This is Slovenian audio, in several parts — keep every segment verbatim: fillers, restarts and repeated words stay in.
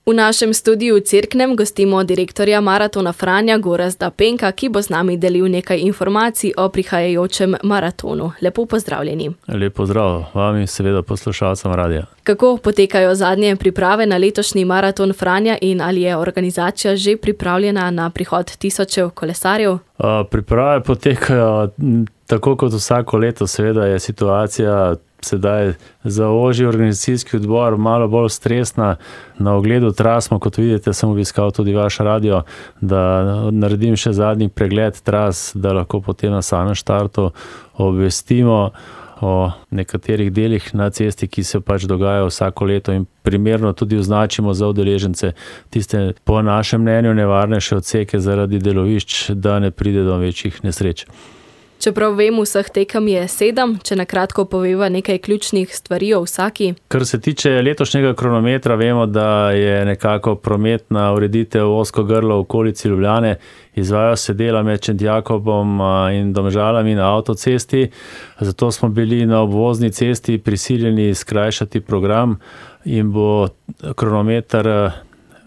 V našem studiu v Cerknem gostimo direktorja Maratona Franja Gorazda Penka, ki bo z nami delil nekaj informacij o prihajajočem maratonu. Lepo pozdravljeni. Lep pozdrav vam in seveda poslušalcem radia. Kako potekajo zadnje priprave na letošnji Maraton Franja in ali je organizacija že pripravljena na prihod tisočev kolesarjev? Priprave potekajo tako kot vsako leto, seveda je situacija sedaj za ožji organizacijski odbor malo bolj stresna. Na ogledu tras smo, kot vidite, sem obiskal tudi vaš radio, da naredim še zadnji pregled tras, da lahko potem na samem štartu obvestimo o nekaterih delih na cesti, ki se pač dogajajo vsako leto in primerno tudi označimo za udeležence tiste po našem mnenju nevarnejše odseke zaradi delovišč, da ne pride do večjih nesreč. Čeprav vem, vseh tekem je sedem, če na kratko poveva nekaj ključnih stvari o vsaki. Kar se tiče letošnjega kronometra, vemo, da je nekako prometna ureditev ozko grlo v okolici Ljubljane. Izvajajo se dela med Šentjakobom in Domžalami na avtocesti, zato smo bili na obvozni cesti prisiljeni skrajšati program in bo kronometer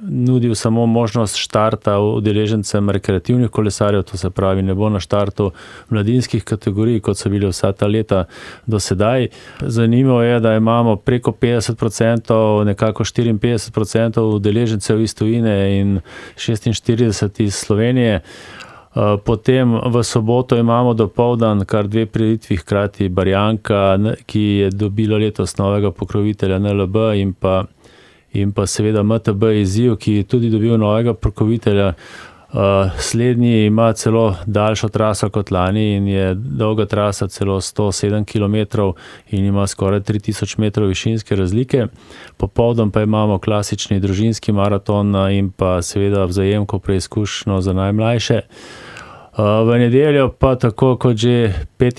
nudil samo možnost štarta udeležencem rekreativnih kolesarjev, to se pravi, ne bo na štartu mladinskih kategorij, kot so bili vsa ta leta do sedaj. Zanimivo je, da imamo preko petdeset procentov, nekako štiriinpetdeset procentov udeležencev iz tujine in šestinštirideset iz Slovenije. Potem v soboto imamo dopoldan kar dve prireditvi, hkrati Barjanka, ki je dobila letos novega pokrovitelja N L B in pa in pa seveda M T B izziv, ki je tudi dobil novega pokrovitelja. Slednji ima celo daljšo traso kot lani in je dolga trasa celo sto sedem kilometrov in ima skoraj tri tisoč metrov višinske razlike. Popoldan pa imamo klasični družinski maraton in pa seveda vzajemko preizkušnjo za najmlajše. V nedeljo pa tako kot že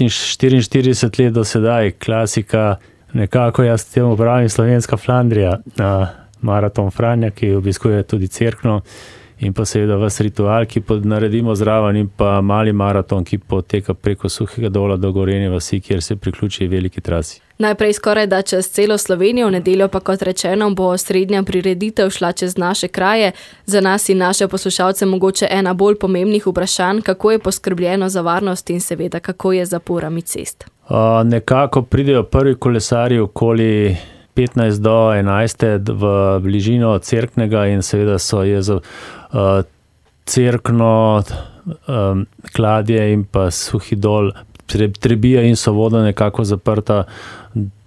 štiriinštirideset let do sedaj, klasika, nekako jaz temu pravim slovenska Flandrija, Maraton Franja, ki obiskuje tudi Cerkno in pa seveda vas ritual, ki naredimo zraven, in pa mali maraton, ki poteka preko Suhega Dola do Gorenje vasi, kjer se priključi veliki trasi. Najprej skoraj da čez celo Slovenijo, v nedeljo pa kot rečeno bo srednja prireditev šla čez naše kraje. Za nas in naše poslušalce mogoče ena bolj pomembnih vprašanj, kako je poskrbljeno za varnost in seveda kako je z zaporami cest. Uh, nekako pridejo prvi kolesarji okoli petnajst do enajst v bližino Cerknega in seveda so je za uh, Cerkno, um, Kladje in pa Suhi Dol, Trebija in Sovoda nekako zaprta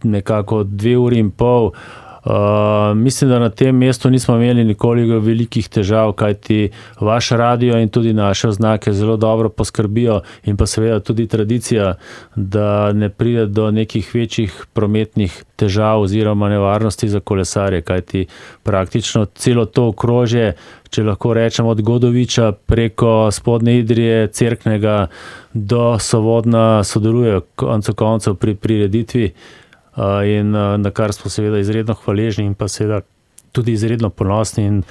nekako dve uri in pol. Uh, mislim, da na tem mestu nismo imeli nikoli velikih težav, kajti vaš radio in tudi naše oznake zelo dobro poskrbijo in pa seveda tudi tradicija, da ne pride do nekih večjih prometnih težav oziroma nevarnosti za kolesarje, kajti praktično celo to okrožje, če lahko rečem od Godoviča preko Spodnje Idrije, Cerknega do Sovodna sodelujejo koncu koncev pri prireditvi. In na kar smo seveda izredno hvaležni in pa seveda tudi izredno ponosni in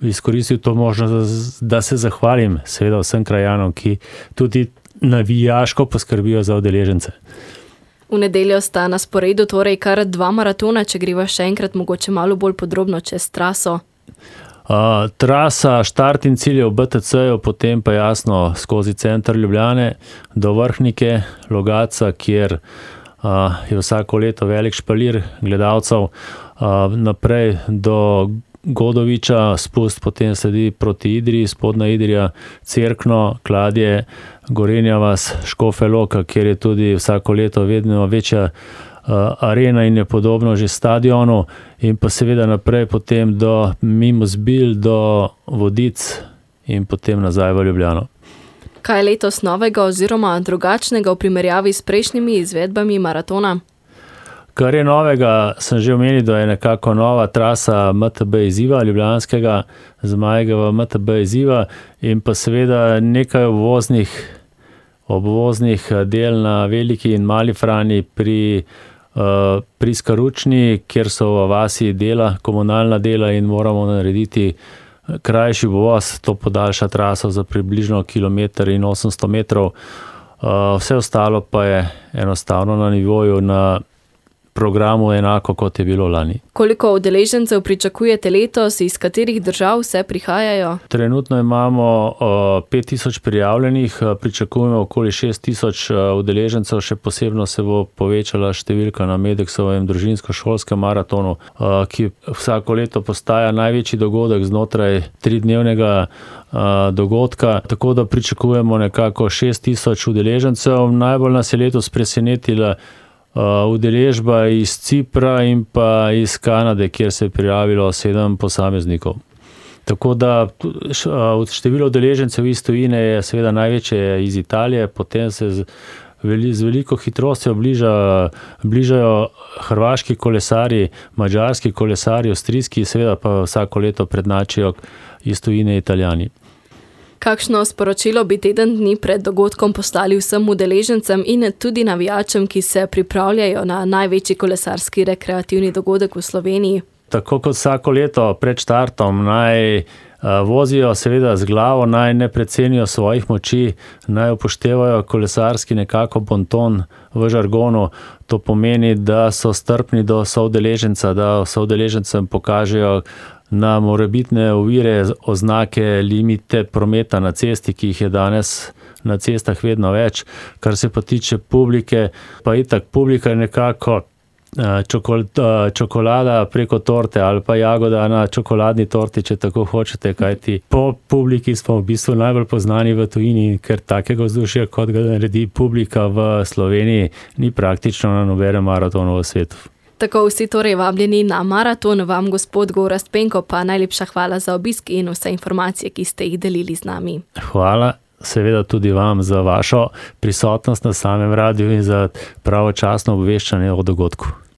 izkoristil to možnost, da se zahvalim seveda vsem krajanom, ki tudi navijaško poskrbijo za udeležence. V nedeljo sta na sporedu torej kar dva maratona, če greva še enkrat mogoče malo bolj podrobno čez traso. Uh, trasa, štart in cilj je v B T C-ju, potem pa jasno skozi center Ljubljane do Vrhnike, Logatca, kjer Uh, je vsako leto velik špalir gledalcev, uh, naprej do Godoviča, spust potem sledi proti Idriji, Spodnja Idrija, Cerkno, Kladje, Gorenja vas, Škofja Loka, kjer je tudi vsako leto vedno večja uh, arena in je podobno že stadionu, in pa seveda naprej potem do mimo Zbilj, do Vodic in potem nazaj v Ljubljano. Kaj je letos novega oziroma drugačnega v primerjavi s prejšnjimi izvedbami maratona? Kar je novega, sem že omenil, da je nekako nova trasa M T B izziva ljubljanskega, Zmajevega M T B izziva in pa seveda nekaj obvoznih, obvoznih del na Veliki in Mali Frani pri, uh, pri Skaručni, kjer so v vasi dela, komunalna dela in moramo narediti krajši obvoz, to podaljša traso za približno kilometer in osemsto metrov. Vse ostalo pa je enostavno na nivoju na programu enako, kot je bilo lani. Koliko udeležencev pričakujete letos, iz katerih držav vse prihajajo? Trenutno imamo pet tisoč prijavljenih, pričakujemo okoli šest tisoč udeležencev, še posebno se bo povečala številka na Medeksovem družinsko-šolskem maratonu, ki vsako leto postaja največji dogodek znotraj tridnevnega dogodka, tako da pričakujemo nekako šest tisoč udeležencev. Najbolj nas je letos presenetila udeležba iz Cipra in pa iz Kanade, kjer se je prijavilo sedem posameznikov. Tako da število udeležencev iz tujine je seveda največje iz Italije, potem se z, z veliko hitrostjo bliža, bližajo hrvaški kolesarji, madžarski kolesarji, avstrijski, seveda pa vsako leto prednačijo iz tujine Italijani. Kakšno sporočilo bi teden dni pred dogodkom poslali vsem udeležencem in tudi navijačem, ki se pripravljajo na največji kolesarski rekreativni dogodek v Sloveniji? Tako kot vsako leto pred štartom naj vozijo seveda z glavo, naj ne precenijo svojih moči, naj upoštevajo kolesarski nekako bonton v žargonu. To pomeni, da so strpni do soudeleženca, da soudeležencem pokažejo na morebitne ovire, oznake, limite prometa na cesti, ki jih je danes na cestah vedno več. Kar se pa tiče publike, pa itak publika je nekako čokolada preko torte ali pa jagoda na čokoladni torti, če tako hočete, kajti po publiki smo v bistvu najbolj poznani v tujini, ker takega vzdušja, kot ga naredi publika v Sloveniji, ni praktično na nobenem maratonu v svetu. Tako vsi torej vabljeni na maraton, vam gospod Gorazd Penko pa najlepša hvala za obisk in vse informacije, ki ste jih delili z nami. Hvala seveda tudi vam za vašo prisotnost na samem radiu in za pravočasno obveščanje o dogodku.